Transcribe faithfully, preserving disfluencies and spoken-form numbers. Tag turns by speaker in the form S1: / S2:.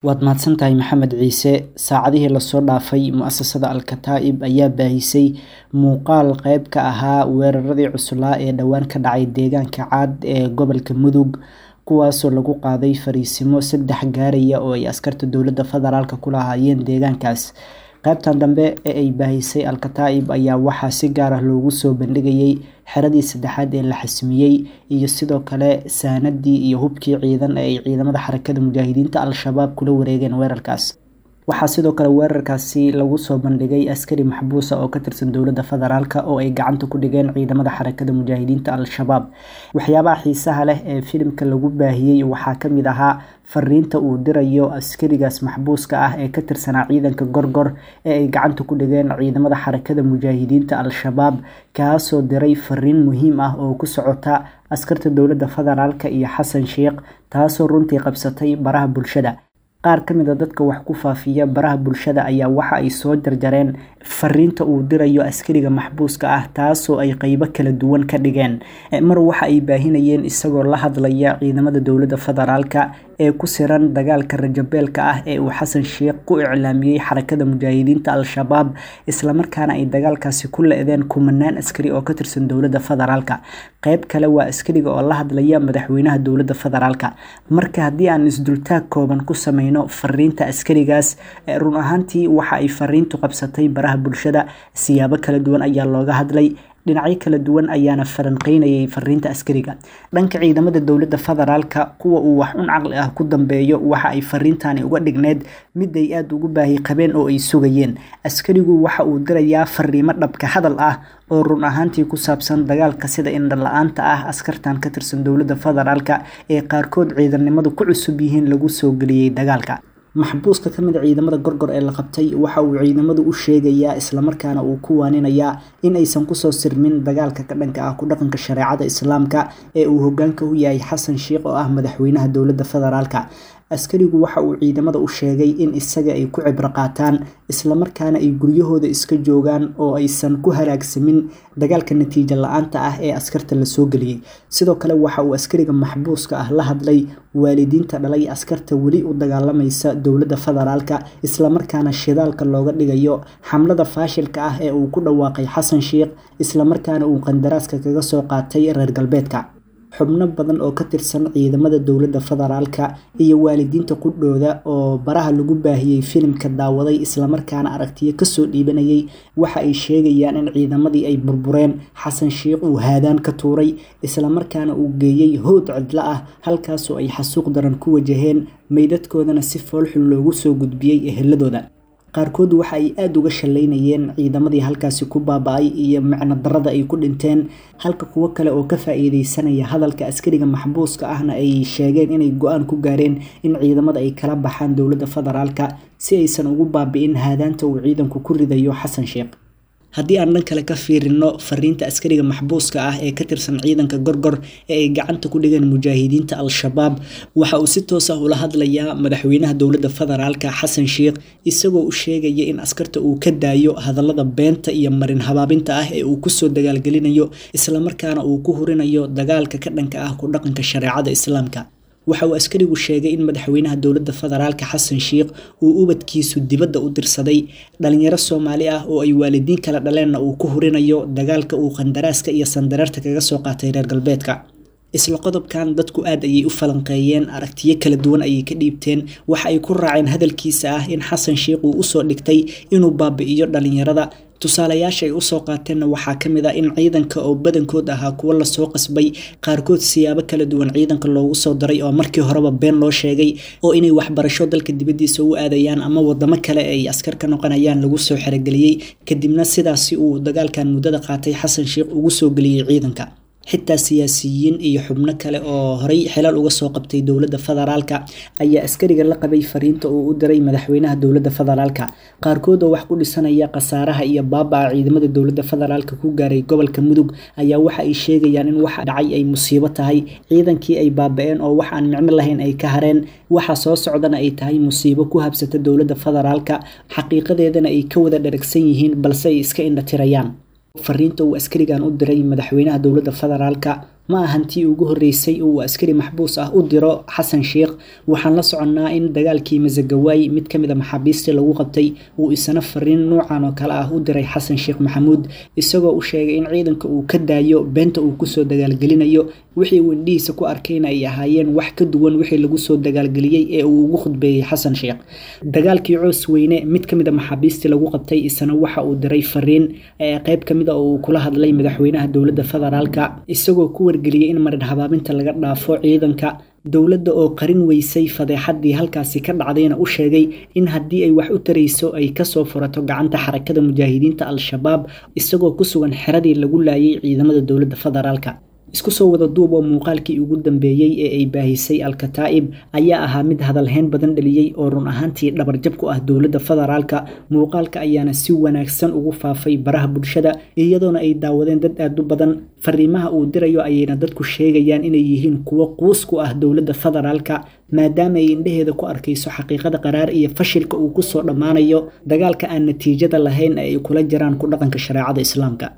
S1: Waad mahadsantahay Maxamed Ciise. Saacadihii la soo dhaafay, mu'asasada Al-Kataa'ib ayaa baahisay muuqaal qayb ka ahaa weeraradii cuslaa ee dhowaan ka dhacay deegaanka Caad ee gobolka Mudug, kuwaasoo lagu qaaday fariisimo saddex gaaraya oo ay askarta dowladda federaalka ku lahaayeen deegaankaas. Qaybtan dambe ee ay baahisay Al-Kataa'ib ayaa waxaa si gaar ah loogu soo bandhigayay xeradii saddexaad ee la xasmiyay, iyo sidoo kale saanadii iyo hubkii ciidan ee ay ciidamada Xarakada Mujaahidiinta Al-Shabaab kula wareegeen weerarkaas. Waxaa sidoo kale weerarkaasi lagu soo bandhigay askari maxbuus ah oo ka tirsan dowladda federaalka oo ay gacanta ku dhigeen ciidamada Xarakada Mujaahidiinta Al-Shabaab. Waxyaabaha xiisaha leh ee filimka lagu baahiyay waxaa ka mid ahaa fariinta uu dirayo askarigaas maxbuuska ah ee ka tirsanaa ciidanka Gorgor ee ay gacanta ku dhigeen ciidamada Xarakada Mujaahidiinta Al-Shabaab, kaasoo diray fariin muhiim ah oo ku socota askarta dowladda federaalka iyo Xasan Sheikh, taasoo runtii qabsatay baraha bulshada. Qaar ka mid ah dadka wax ku faafiya baraha bulshada ayaa waxa ay soo jarjareen fariinta uu dirayo askariga maxbuuska ah, taasoo ay qaybo kala duwan ka dhigeen. Mar waxa ay baahinayeen isagoo la hadlaya ciidamada dowladda federaalka ee ku siran dagaalka rajabeelka ah ee uu Xasan Sheikh ku iclaamiyay Xarakada Mujaahidiinta Al-Shabaab, isla markaana ay dagaalkaasi ku le'deen kumanaan askari oo ka tirsan dowladda federaalka. Qayb kale waa askariga oo la hadlaya madaxweynaha dowladda federaalka. Marka haddii aan isdultaag kooban ku sameyno fariinta askarigaas, run ahaantii waxa ay fariintu qabsatay baraha bulshada, siyaabo kala duwan ayaa looga hadlay, dhinacyo kala duwan ayaana falanqeynayay fariinta askariga. Dhanka ciidamada dowladda federaalka, kuwa uu wax un caqli ah ku dambeeyo, waxa ay fariintani uga dhigneyd mid ay aad ugu baahi qabeen oo ay sugayeen. Askarigu waxa uu dirayaa fariimo dhabka hadal ah oo run ahaantii ku saabsan dagaalka sida indho la'aanta ah askartan ka tirsan dowladda federaalka ee qaarkood ciidamadu ku cusub yihiin lagu soo geliyay dagaalka. Maxbuuska ka mid ah ciidamada Gorgor ee la qabtay waxa uu ciidamadu u sheegayaa isla markaana uu ku waaninayaa in aysan kusoo sirmin dagaalka ka dhanka ah ku dhaqanka shareecada Islaamka ee uu hoggaanka u yahay Xasan Sheikh oo ah madaxweynaha dowladda federaalka. Askarigu waxa uu ciidamada u sheegay in isaga ay ku cibro qaataan, isla markaana ay guryahooda iska joogaan oo aysan ku halaagsamin dagaalka natiijo la'aanta ah ee askarta la soo geliyay. Sidoo kale waxa uu askariga maxbuuska ah la hadlay waalidiinta dhalay askarta weli u dagaalamaysa dowladda federaalka, isla markaana shidaalka looga dhigayo xamlada faashilka ah ee uu ku dhawaaqay Xasan Sheikh, isla markaana uu qandaraaska kaga soo qaatay reer galbeedka. Xubno badan oo ka tirsan ciidamada dowladda federaalka iyo waalidiinta qudhooda oo baraha lagu baahiyay filimka daawaday isla markaana aragtiyo kasoo dhiibanayay waxa ay sheegayaan in ciidamadii ay burbureen, Xasan Sheikh uu haadaan ka tuuray, isla markaana uu geeyay howd cidlo ah halkaasoo ay xasuuq daran ku wajaheen, meydadkoodana si foolxun loogu soo gudbiyay eheladooda. Qaarkood waxa ay aad uga shalaynayeen ciidamadii halkaasi ku baaba'ay iyo micno darrada ay ku dhinteen, halka kuwo kale oo ka faa'iideysanaya hadalka askariga maxbuuska ahna ay sheegeen inay go'aan ku gaareen in ciidamada ay kala baxaan dowladda federaalka si aysan ugu baabi'in haadaanta uu ciidanku ku ridayo Xasan Sheikh. Haddii aan dhan kale ka fiirino fariinta askariga maxbuuska ah ee ka tirsan ciidanka Gorgor ee ay gacanta ku dhigeen mujaahidiinta Al-Shabaab, waxa uu si toos ah ula hadlayaa madaxweynaha dowladda federaalka Xasan Sheikh, isagoo u sheegaya in askarta uu ka daayo hadallada beenta iyo marin habaabinta ah ee uu kusoo dagaalgelinayo, isla markaana uu ku hurinayo dagaalka ka dhanka ah ku dhaqanka shareecada Islaamka. Waxa uu askarigu sheegay in madaxweynaha dowladda federaalka Xasan Sheikh uu ubadkiisu dibadda u dirsaday dhalinyaro Soomaali ah oo ay waalidiin kala dhaleenna uu ku hurinayo dagaalka uu qandaraaska iyo sandareerta kaga soo qaatay reer galbeedka. Isla qodobkan dadku aad ayay u falanqeeyeen, aragtiyo kala duwan ayay ka dhiibteen. Waxa ay ku raaceen hadalkiisa ah in Xasan Sheikh uu usoo dhigtay inuu baabi'iyo dhalinyarada. Tusaalayaasha ay usoo qaateenna waxaa ka mid ah in ciidanka oo badankood ahaa kuwo lasoo qasbay, qaarkood siyaabo kala duwan ciidanka loogu soo daray oo markii horeba been loo sheegay oo inay waxbarasho dalka dibaddiisa u aadayaan ama wadamo kale ay askar ka noqonayaan lagu soo xerogeliyey, kadibna sidaasi uu dagaalkan muddada qaatay Xasan Sheikh ugu soo geliyey ciidanka. Xitaa siyaasiyiin iyo xubno kale oo horey xilal uga soo qabtay dowladda federaalka ayaa askariga la qabay fariinta uu u diray madaxweynaha dowladda federaalka. Qaarkood oo wax ku dhisanaya khasaaraha iyo baaba'a ciidamada dowladda federaalka ku gaaray gobolka Mudug ayaa waxa ay sheegayaan in waxa dhacay ay musiibo tahay, ciidankii ay baaba'een oo wax aan micno lahayn ay ka hareen, waxa soo socdana ay tahay musiibo ku habsata dowladda federaalka, xaqiiqadeedana ay ka wada dheragsan yihiin balse ay iska indha tirayaan. Fariinta uu askarigan u diray madaxweynaha dowladda federaalka Ma ahan tii ugu horreysay uu askari maxbuus ah u diro Xasan Sheikh. Waxaan la soconnaa in dagaalkii Masagawaay mid ka mid a maxaabiistii lagu qabtay uu isana fariin nuucan oo kale ah u diray Xasan Sheikh Maxamuud, isagoo u sheegay in ciidanka uu ka daayo beenta uu kusoo dagaalgelinayo, wixii uu indhihiisa ku arkayna ay ahaayeen wax ka duwan wixii lagu soo dagaalgeliyey ee uu ugu khudbeeyey Xasan Sheikh. Dagaalkii Coos Weyne mid ka mid a maxaabiistii lagu qabtay isana waxa uu diray fariin qayb ka mid a oo uu kula hadlay madaxweynaha dowladda federaalka, isagoo ku wargeliyey in marin habaabinta laga dhaafo ciidanka dowladda oo qarin weysay fadeexadii halkaasi ka dhacdayna u sheegay in haddii ay wax u tarayso ay kasoo furato gacanta Xarakada Mujaahidiinta Al-Shabaab, isagoo ku sugan xeradii lagu laayay ciidamada dowladda federaalka. Isku soo wada duub oo muuqaalkii ugu dambeeyey ee ay baahisay Al-Kataa'ib ayaa ahaa mid hadalhayn badan dhaliyey oo run ahaantii dhabarjab ku ah dowladda federaalka. Muuqaalka ayaana si wanaagsan ugu faafay baraha bulshada, iyadoona ay daawadeen dad aad u badan. Fariimaha uu dirayo ayayna dadku sheegayaan inay yihiin kuwo quus ku ah dowladda federaalka, maadaama ay indhaheeda ku arkayso xaqiiqada qaraar iyo fashilka uu kusoo dhammaanayo dagaalka aan natiijada lahayn ee ay kula jiraan ku dhaqanka shareecada Islaamka.